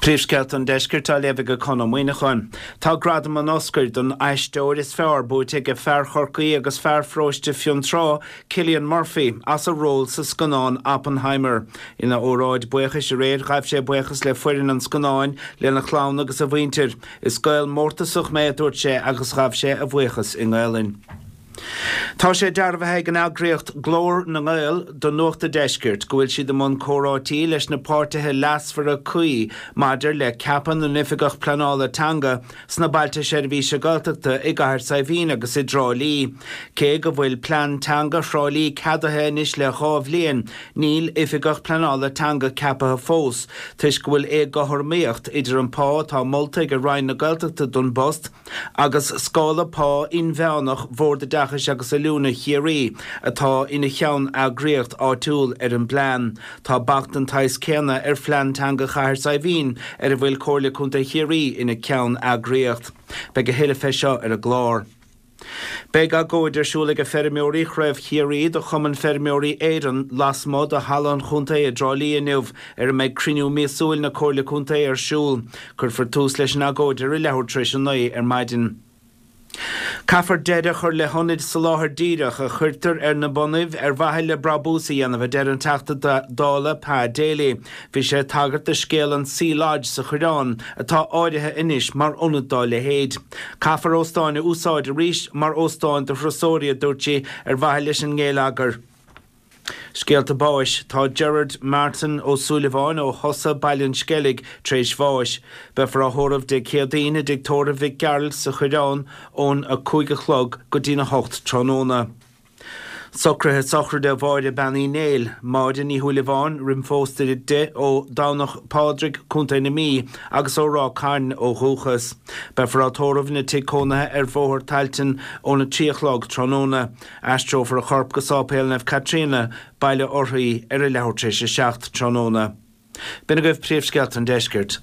Príomhscéalta an Deiscirt á léamh ag Conn Ó Muíneacháin. Tá gradam an Oscair don aisteoir is fearr buaite ag fear Chorcaí agus fear pharóiste Fionntrá, Cillian Murphy, as a ról sa scannán Oppenheimer. Ina óráid buíochais aréir, ghaibh sé buíochas le foireann an scannáin, lena chlann agus a mhuintir. Is Gael mórtasach mé, a dúirt sé agus ghabh sé a bhuíochas i nGaelainn. Tá sé dearbhaithe ag an eagraíocht Glór na nGael do Nuacht a' Deiscirt go bhfuil siad i mbun comhráití leis na páirtithe leasmhara cuí maidir le ceapadh na n-oifigeach pleanála teanga sna Bailte Seirbhíse Gaeltachta i gCathair Saidhbhín agus i dTrá Lí. Cé go bhfuil plean teanga Thrá Lí ceadaithe anois le 2 bhliain, níl oifigeach pleanála teanga ceapaithe fós toisc go bhfuil éagothromaíocht idir an pá atá molta ag Roinn na Gaeltachta don bpost agus scála pá inmheánach Bhord Oideachais agus Oiliúna Chiarraí, atá ina cheann-eagraíocht áitiúil ar an bplean. Tá bac den tsaghas céanna ar phlean teanga Chathair Saidhbhín, ar a bhfuil Comhairle Contae Chiarraí ina ceann-eagraíocht. Beidh a thuilleadh fé seo ar an gclár. Beidh agóid ar siúl ag feirmeoirí Chraobh Chiarraí de Chumann Feirmeoirí Éireann lasmuigh de Halla an Chontae i dTrá Lí inniu, ar a mbeidh cruinniú míosúil na Comhairle Contae ar siúl. Cuirfear tús leis an agóid ar a leathuair tar éis a 9 ar maidin. Caithfear deireadh a chur le hionaid soláthair díreach a chuirtear ar na bonnaibh ar mhaithe le brabús a dhéanamh, a deir an Teachta Dála Pa Daly. Bhí sé ag tagairt do scéal an Sea Lodge sa Choireán, atá áirithe anois mar ionad dá leithéid. Caithfear óstáin a úsáid arís mar óstáin do thurasóirí, a dúirt sé, ar mhaithe leis an ngeilleagar. Scéalta báis, Tá Gerard Martin Ó Súilleabháin ó Chosa, Baile an Sceilg, tar éis bháis. Beifear á thórramh Dé Céadaoin i dTigh Tórraimh Mhic Gearailt sa Choireán ón 5 a chlog go dtí'n 8 tráthnóna. Socruithe sochraide Mháire Bean Uí Néill, Máire Ní Shúilleabháin, roimh phósta di, ó Domhnach Pádraig, Co. na Mí, agus ó Ráth Cairn ó dhúchas. Beifear á tórramh ina tigh cónaithe ar Bhóthar Tailteann óna 3 a chlog tráthnóna. Aistreofar a chorp go Sáipéal Naomh Caitríona, Baile Urthaí, ar a leathuair tar éis a 7 tráthnóna. B'in agaibh príomhscéalta an deiscirt.